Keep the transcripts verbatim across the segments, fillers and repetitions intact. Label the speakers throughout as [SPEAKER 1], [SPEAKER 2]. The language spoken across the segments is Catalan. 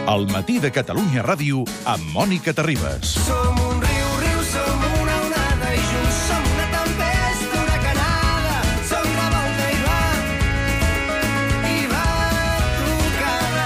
[SPEAKER 1] El matí de Catalunya Ràdio amb Mònica Terribas.
[SPEAKER 2] Som un riu, riu, som una onada i junts som una tempesta huracanada. Som revolta i va, i va tocada.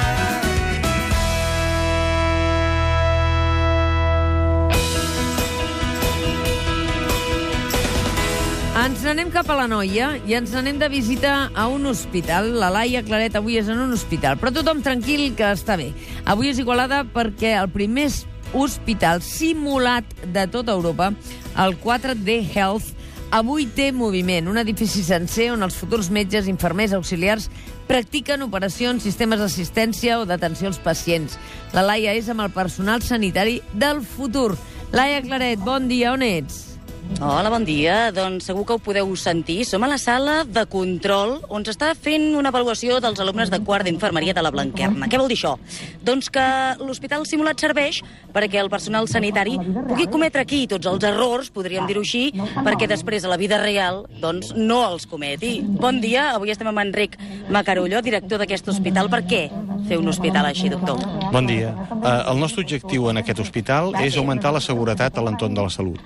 [SPEAKER 3] Ens n'anem cap a la Noia i ens n'anem de visita a un hospital. La Laia Claret avui és en un hospital, però tothom tranquil que està bé. Avui és Igualada perquè el primer hospital simulat de tota Europa, el quatre D Health, avui té moviment. Un edifici sencer on els futurs metges, infermers, auxiliars practiquen operacions, sistemes d'assistència o d'atenció als pacients. La Laia és amb el personal sanitari del futur. Laia Claret, bon dia, on ets?
[SPEAKER 4] Hola, bon dia. Doncs segur que ho podeu sentir. Som a la sala de control on s'està fent una avaluació dels alumnes de quart d'infermeria de la Blanquerna. Què vol dir això? Doncs que l'hospital simulat serveix perquè el personal sanitari pugui cometre aquí tots els errors, podríem dir-ho així, perquè després a la vida real doncs, no els cometi. Bon dia. Avui estem amb Enric Macarullo, director d'aquest hospital. Per què fer un hospital així, doctor?
[SPEAKER 5] Bon dia. Uh, el nostre objectiu en aquest hospital és augmentar la seguretat a l'entorn de la salut,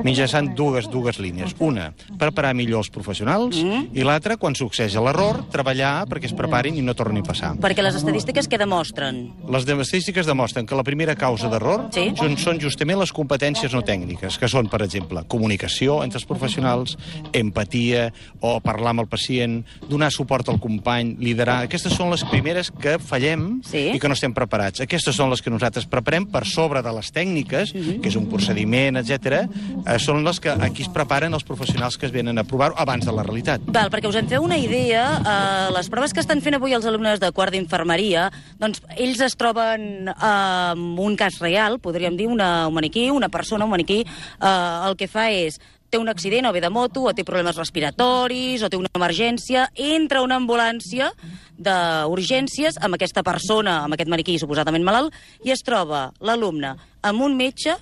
[SPEAKER 5] mitjançant dues, dues línies. Una, preparar millor els professionals, mm. i l'altra, quan succeeix l'error, treballar perquè es preparin i no torni a passar.
[SPEAKER 4] Perquè les estadístiques què demostren?
[SPEAKER 5] Les estadístiques demostren que la primera causa d'error
[SPEAKER 4] sí?
[SPEAKER 5] són justament les competències no tècniques, que són, per exemple, comunicació entre els professionals, empatia, o parlar amb el pacient, donar suport al company, liderar. Aquestes són les primeres que fallem
[SPEAKER 4] sí?
[SPEAKER 5] i que no estem preparats. Aquestes són les que nosaltres preparem per sobre de les tècniques, mm-hmm. que és un procediment, etcètera. Eh, són les que aquí es preparen els professionals que es venen a provar abans de la realitat.
[SPEAKER 4] Val, perquè us en feu una idea, eh, les proves que estan fent avui els alumnes de quart d'infermeria, doncs ells es troben eh, amb un cas real, podríem dir, una, un maniquí, una persona, un maniquí, eh, el que fa és té un accident, o ve de moto, o té problemes respiratoris, o té una emergència, entra una ambulància d'urgències amb aquesta persona, amb aquest maniquí suposadament malalt, i es troba l'alumne amb un metge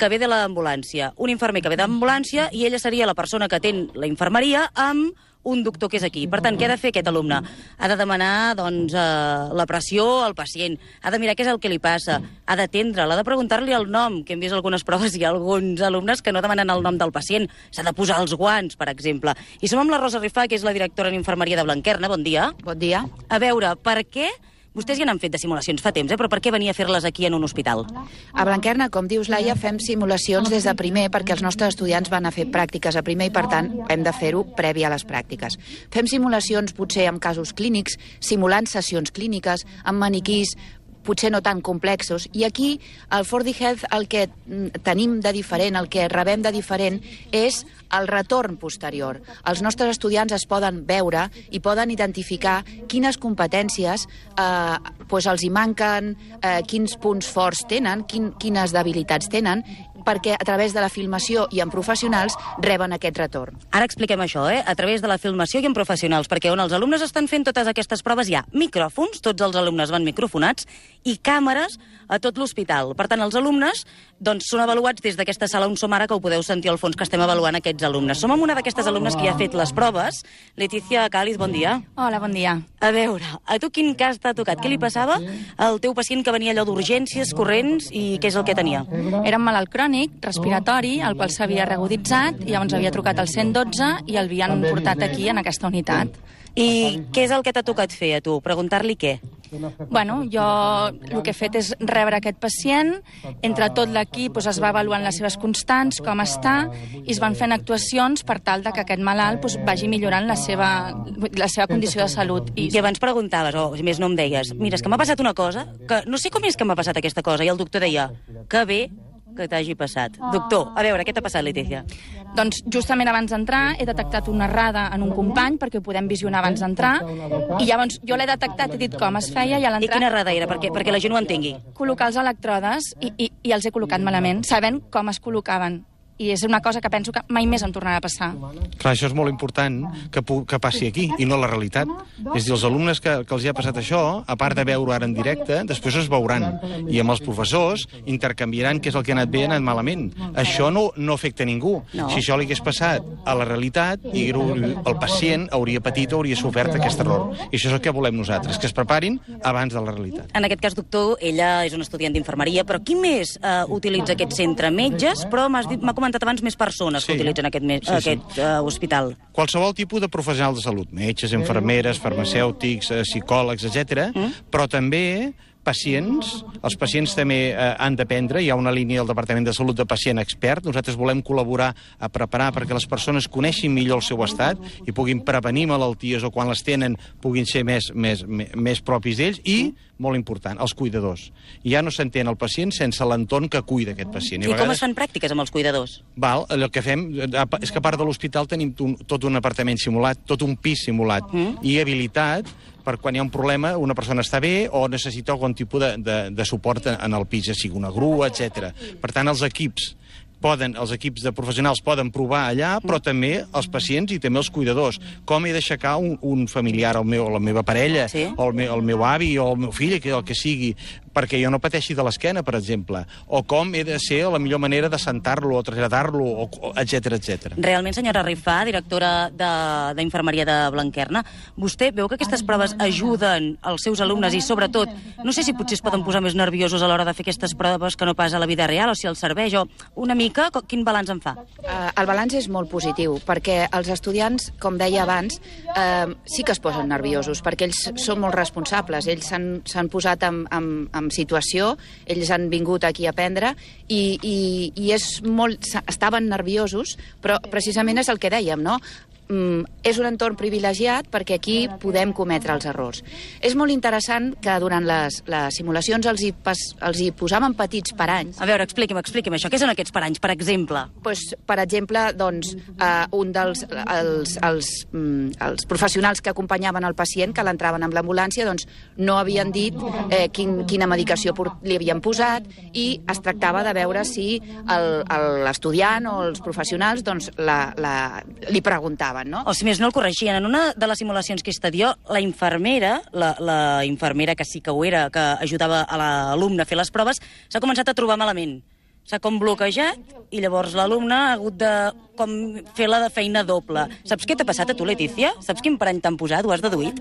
[SPEAKER 4] que ve de l'ambulància, un infermer que ve d'ambulància, i ella seria la persona que atén la infermeria amb un doctor que és aquí. Per tant, què ha de fer aquest alumne? Ha de demanar doncs, eh, la pressió al pacient, ha de mirar què és el que li passa, ha d'atendre'l, ha de preguntar-li el nom, que hem vist algunes proves, hi ha alguns alumnes que no demanen el nom del pacient, s'ha de posar els guants, per exemple. I som amb la Rosa Rifà, que és la directora en infermeria de Blanquerna. Bon dia.
[SPEAKER 6] Bon dia.
[SPEAKER 4] A veure, per què... Vostès ja n'han fet de simulacions fa temps, eh? Però per què venir a fer-les aquí en un hospital?
[SPEAKER 6] A Blanquerna, com dius, Laia, fem simulacions des de primer perquè els nostres estudiants van a fer pràctiques a primer i, per tant, hem de fer-ho previ a les pràctiques. Fem simulacions, potser, amb casos clínics, simulant sessions clíniques, amb maniquís, potser no tan complexos. I aquí, al quatre D Health, el que tenim de diferent, el que rebem de diferent, és el retorn posterior. Els nostres estudiants es poden veure i poden identificar quines competències eh, pues els hi manquen, eh, quins punts forts tenen, quin, quines debilitats tenen, perquè a través de la filmació i en professionals reben aquest retorn.
[SPEAKER 4] Ara expliquem això, eh? A través de la filmació i en professionals, perquè on els alumnes estan fent totes aquestes proves hi ha micròfons, tots els alumnes van microfonats, i càmeres a tot l'hospital. Per tant, els alumnes doncs, són avaluats des d'aquesta sala on som ara, que ho podeu sentir al fons, que estem avaluant aquests alumnes. Som amb una d'aquestes alumnes que ja ha fet les proves. Letícia Cáliz, bon dia.
[SPEAKER 7] Hola, bon dia.
[SPEAKER 4] A veure, a tu quin cas t'ha tocat? Què li passava al teu pacient que venia allò d'urgències corrents i què és el que tenia?
[SPEAKER 7] Era un malalt crònic, respiratori, el qual s'havia reaguditzat, i llavors havia trucat al cent dotze i el havien portat aquí, en aquesta unitat.
[SPEAKER 4] I què és el que t'ha tocat fer a tu? Preguntar-li què?
[SPEAKER 7] Bueno, jo el que he fet és rebre aquest pacient, entre tot l'equip doncs, es va avaluant les seves constants, com està, i es van fent actuacions per tal de que aquest malalt doncs, vagi millorant la seva, la seva condició de salut.
[SPEAKER 4] I... I abans preguntaves, o si més no em deies, mira, és que m'ha passat una cosa, que no sé com és que m'ha passat aquesta cosa, i el doctor deia, que bé que t'hagi passat. Doctor, a veure, què t'ha passat, Letícia?
[SPEAKER 7] Doncs justament abans d'entrar he detectat una errada en un company perquè ho podem visionar abans d'entrar, i llavors jo l'he detectat, he dit com es feia, i a l'entrar...
[SPEAKER 4] I quina errada era, perquè, perquè la gent ho entengui?
[SPEAKER 7] Col·locar els electrodes i, i, i els he col·locat malament, sabent com es col·locaven. i és una cosa que penso que mai més em tornarà a passar.
[SPEAKER 5] Clar, això és molt important que, que passi aquí, i no la realitat. És dir, els alumnes que, que els hi ha passat això, a part de veure ara en directe, després es veuran. I amb els professors intercanviaran què és el que ha anat bé i ha anat malament. Això no, no afecta a ningú.
[SPEAKER 4] No.
[SPEAKER 5] Si això li hagués passat a la realitat, i el pacient hauria patit o hauria sofert aquest error. I això és el que volem nosaltres, que es preparin abans de la realitat.
[SPEAKER 4] En aquest cas, doctor, ella és una estudiant d'infermeria, però qui més eh, utilitza aquest centre? Metges, però m'ha comentat abans més persones
[SPEAKER 5] Sí.
[SPEAKER 4] que utilitzen aquest, me-
[SPEAKER 5] Sí, sí.
[SPEAKER 4] aquest eh, hospital.
[SPEAKER 5] Qualsevol tipus de professionals de salut, metges, infermeres, farmacèutics, eh, psicòlegs, etcètera, mm. però també pacients. Els pacients també eh, han d'aprendre. Hi ha una línia del Departament de Salut de pacient expert. Nosaltres volem col·laborar a preparar perquè les persones coneixin millor el seu estat i puguin prevenir malalties o quan les tenen puguin ser més, més, més, més propis d'ells. I, molt important, els cuidadors. Ja no s'entén el pacient sense l'entorn que cuida aquest pacient.
[SPEAKER 4] I, I
[SPEAKER 5] vegades...
[SPEAKER 4] com es fan pràctiques amb els cuidadors?
[SPEAKER 5] Val, el que fem és que a part de l'hospital tenim un, tot un apartament simulat, tot un pis simulat mm. i habilitat per quan hi ha un problema, una persona està bé o necessita algun tipus de, de, de suport en el pis, ja sigui una grua, etcètera. Per tant, els equips poden, els equips de professionals poden provar allà, però també els pacients i també els cuidadors. Com he d'aixecar un, un familiar, el meu, la meva parella,
[SPEAKER 4] Sí.
[SPEAKER 5] o el meu, el meu avi, o el meu fill, que el que sigui, perquè jo no pateixi de l'esquena, per exemple. O com he de ser la millor manera de sentar-lo, o traslladar-lo, o, o, etcètera, etcètera.
[SPEAKER 4] Realment, senyora Rifà, directora de- d'infermeria de, de Blanquerna, vostè veu que aquestes proves ajuden els seus alumnes i, sobretot, no sé si potser es poden posar més nerviosos a l'hora de fer aquestes proves que no pas a la vida real, o si els serveix, o una mica, co- quin balanç en fa?
[SPEAKER 6] Uh, el balanç és molt positiu, perquè els estudiants, com deia abans, uh, sí que es posen nerviosos, perquè ells són molt responsables, ells s'han s'han posat en, en, en situació, ells han vingut aquí a aprendre, i, i, i és molt, estaven nerviosos, però precisament és el que dèiem, no? Mm, és un entorn privilegiat perquè aquí podem cometre els errors. És molt interessant que durant les, les simulacions els hi, pas, els hi posàvem petits paranys.
[SPEAKER 4] A veure, expliqui'm, expliqui'm això. Què són aquests paranys, per exemple?
[SPEAKER 6] Pues, per exemple, doncs, uh, un dels els, els, mm, els professionals que acompanyaven el pacient, que l'entraven amb l'ambulància, doncs, no havien dit eh, quin, quina medicació por- li havien posat, i es tractava de veure si el- el- l'estudiant o els professionals doncs, la, la, li preguntaven. No?
[SPEAKER 4] O si més no el corregien. En una de les simulacions que he estat jo, la infermera, la, la infermera que sí que ho era, que ajudava a l'alumne a fer les proves, s'ha començat a trobar malament. S'ha com bloquejat i llavors l'alumne ha hagut de com fer la de feina doble. Saps què t'ha passat a tu, Letícia? Saps quin parany t'han posat? Ho has deduït?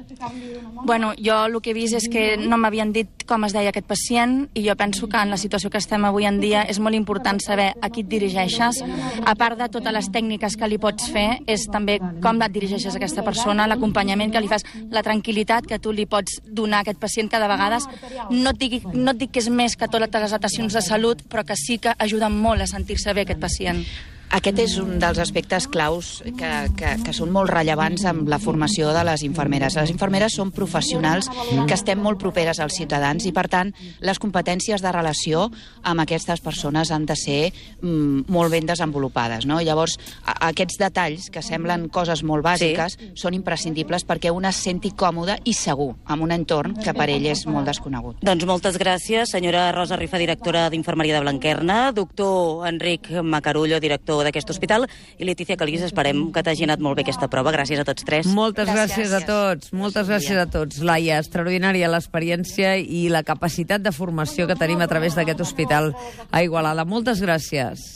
[SPEAKER 7] Bueno, jo el que he vist és que no m'havien dit com es deia aquest pacient, i jo penso que en la situació que estem avui en dia és molt important saber a qui et dirigeixes. A part de totes les tècniques que li pots fer, és també com et dirigeixes a aquesta persona, l'acompanyament que li fas, la tranquil·litat que tu li pots donar a aquest pacient, que de vegades no et, digui, no et dic que és més que totes les atencions de salut, però que sí que ajuden molt a sentir-se bé aquest pacient.
[SPEAKER 6] Aquest és un dels aspectes claus que, que, que són molt rellevants amb la formació de les infermeres. Les infermeres són professionals que estem molt properes als ciutadans i, per tant, les competències de relació amb aquestes persones han de ser mm, molt ben desenvolupades. No? Llavors, a, aquests detalls, que semblen coses molt bàsiques, sí. són imprescindibles perquè un es senti còmode i segur en un entorn que per ell és molt desconegut.
[SPEAKER 4] Doncs moltes gràcies, senyora Rosa Rifà, directora d'Infermeria de Blanquerna, doctor Enric Macarullo, director d'aquest hospital, i Letícia Calís, esperem que t'hagi anat molt bé aquesta prova. Gràcies a tots tres.
[SPEAKER 3] Moltes gràcies,
[SPEAKER 6] Gràcies.
[SPEAKER 3] a tots, moltes gràcies a tots. Laia, extraordinària l'experiència i la capacitat de formació que tenim a través d'aquest hospital a Igualada. Moltes gràcies.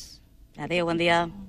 [SPEAKER 4] Adéu, bon dia.